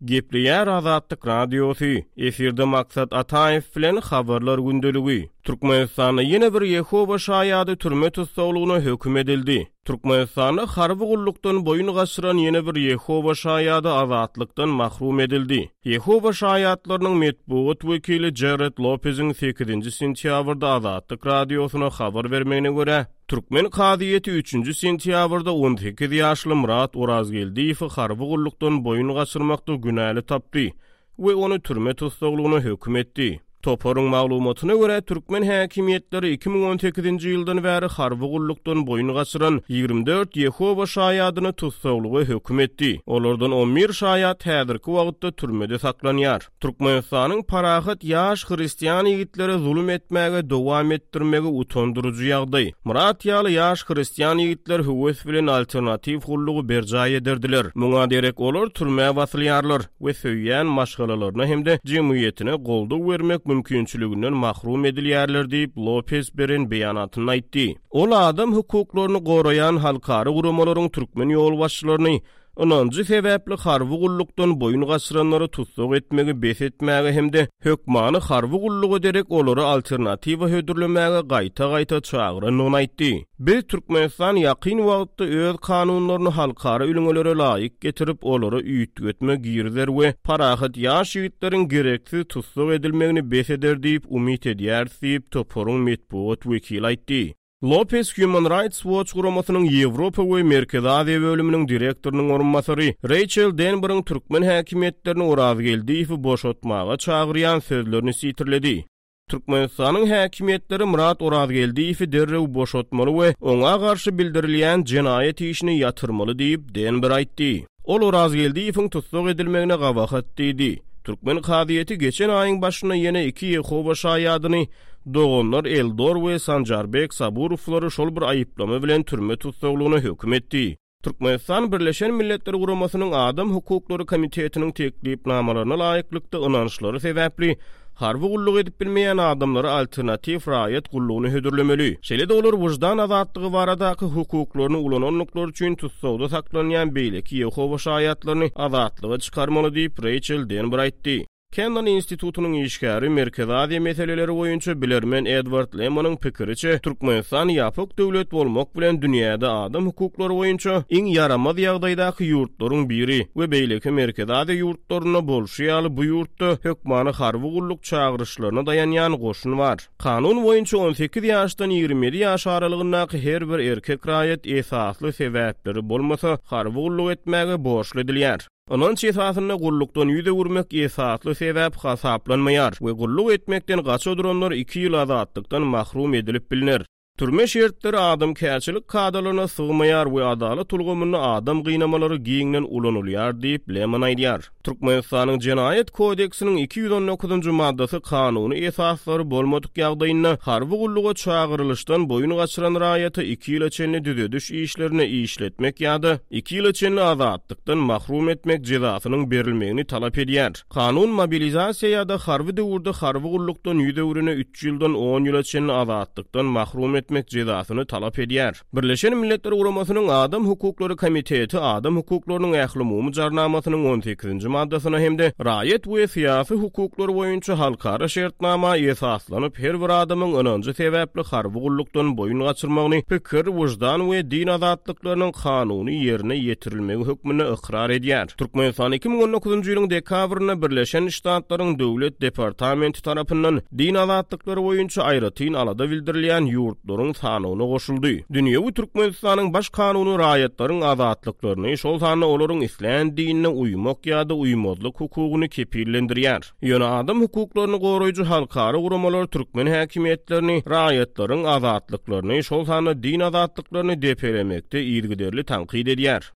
Gepleýär Azatlyk Radiosy, efirde Maksat Ataýew bilen Habarlar gündeligi. Türkmenistanda ýene bir Ýehowa şaýady türme tussaglygyna höküm edildi. Türkmenistanda harby gullukdan boýun gaçyran ýene bir Ýehowa şaýady azatlykdan mahrum edildi. Ýehowa şaýatlarynyň metbugat wekili Jared Lopeziň sekizinji sentýabrda Azatlyk Radiosyna habar bermegine görä, Türkmen kazyýeti üçünji sentýabrda 18 ýaşly Myrat Orazgeldiýewi harby gullukdan boýun gaçyrmakda günäli tapdy we ony türme tussaglygyna höküm etdi. Toparyň maglumatyna görä, türkmen häkimiýetleri 2018-nji ýyldan bäri harby gullukdan boýun gaçyran 24 Ýehowa şaýadyny tussaglyga höküm etdi. Olardan on bir şaýat häzirki wagtda türmede saklanýar. Türkmenistanyň parahat ýaş hristian ýigitlere zulum etmäge dowam etdirmegi utandyryjy ýagdaý. Myrat ýaly ýaş hristian ýigitler höwes bilen alternatiw gullugy berjaý ederdiler. Muňa derek olar türmä basylýarlar we söýýän maşgalalaryna hem-de jemgyýetine goldaw bermek mümkinçiliginden mahrum edilýärler diýip, Lopez beren beýanatynda aýtdy. Ol adam hukuklaryny goraýan halkara guramalaryň türkmen ýolbaşçylaryny Ynanjy sebäpli harby gullukdan boýun gaçyranlary tussag etmegi bes etmäge hem-de hökmany harby gulluga derek olara alternatiwa hödürlemäge gaýta-gaýta çagyrandygyny aýtdy. Biz Türkmenistan ýakyn wagtda öz kanunlaryny halkara ülňelere laýyk getirip, olara üýtgetme girizer we parahat ýaş ýigitleriň gereksiz tussag edilmegini bes eder diýip umyt edýäris diýip, toparyň metbugat wekili aýtdy. Lopes Human Rights Watch guramasynyň Ýewropa we Merkezi Aziýa bölüminiň direktorynyň orunbasary Reýçel Denberiň türkmen häkimiýetlerini Orazgeldiýewi boşatmaga çagyrýan sözlerini sitirledi. Türkmenistanyň häkimiýetleri Myrat Orazgeldiýewi derrew boşatmaly we oňa garşy bildirilýän jenaýat işini ýatyrmaly diýip, Denber aýtdy. Ol Orazgeldiýewiň tussag edilmegine gabahat diýdi. Türkmen kazyýeti geçen aýyň başynda ýene iki Ýehowa şaýadyny, doganlar Eldor we Sanjarbek Saburowlary şol bir aýyplama bilen türme tussaglygyna höküm etdi. Türkmenistan Birleşen Milletler Guramasynyň Adam hukuklary komitetiniň teklipnamalaryna laýyklykda ynançlary sebäpli Harby gulluk edip bilmeýän adamlara alternatiw raýat gullugyny hödürlemeli. Şeýle-de olar wyždan azatlygy baradaky hukuklaryny ulanandyklary üçin tussagda saklanýan beýleki Ýehowa Şaýatlaryny azatlyga çykarmaly diýip, Reýçel Denber aýtdy. Kennan institutynyň işgäri, Merkezi Aziýa meseleleri boýunça bilermen Edward Lemonyň pikiriçe, Türkmenistan ýapyk döwlet bolmak bilen dünýäde adam hukuklary boýunça iň ýaramaz ýagdaýdaky ýurtlaryň biri we beýleki Merkezi Aziýa ýurtlarynda bolşy ýaly bu ýurtda hökmany harby gulluk çagyryşlaryna daýanýan goşun bar. Kanun boýunça 18 ýaşdan 27 ýaş aralygyndaky her bir erkek raýat esasly sebäpleri bolmasa harby gulluk etmäge borçly edilýär. Ynanç esasynda gullukdan ýüz öwürmek esasly sebäp hasaplanmaýar we gulluk etmekden gaça duranlar iki ýyl azatlykdan mahrum edilip bilner. Türme şertleri adamkärçilik kadalaryna sygmaýar we adalat ulgamynda adam gynamalary giňden ulanylýar diýip, Lemon aýdýar. Türkmenistanyň Jenaýat kodeksiniň 219-njy maddasy kanuny esaslary bolmadyk ýagdaýynda harby gulluga çagyrylyşdan boýun gaçyran raýata iki ýyla çenli düzediş işlerine işletmek ýa-da iki ýyla çenli azatlykdan mahrum etmek jezasynyň berilmegini talap edýär. Kanun mobilizasiýa ýa-da harby döwürde harby gullukdan ýüz öwrene üç ýyldan on ýyla çenli azatlykdan mahrum etmek jezasyny talap edýär. Birleşen Milletler Guramasynyň Adam hukuklary komiteti Adam hukuklarynyň ählumumy jarnamasynyň on sekizinji maddasyna hem-de Raýat we syýasy hukuklar boýunça halkara şertnama esaslanyp her bir adamyň ynanjy sebäpli harby gullukdan boýun gaçyrmagyny pikir, wyždan we din azatlyklarynyň kanuny ýerine ýetirilmegi hökmünde ykrar edýär. Türkmenistan 2019-njy ýylyň dekabrynda Birleşen Ştatlaryň Döwlet departamenti tarapyndan din azatlyklary boýunça aýratyn alada bildirilýän ýurtlaryň sanawyna goşuldy. Dünýewi Türkmenistanyň Baş Kanuny raýatlaryň azatlyklaryny, şol sanda olaryň islän dinine uýmak ýa-da uýmazlyk hukugyny kepillendirýär. Ýöne adam hukuklaryny goraýjy halkara guramalar türkmen häkimiýetlerini raýatlaryň azatlyklaryny, şol sanda din azatlyklaryny depelemekde yzygiderli tankyt edýär.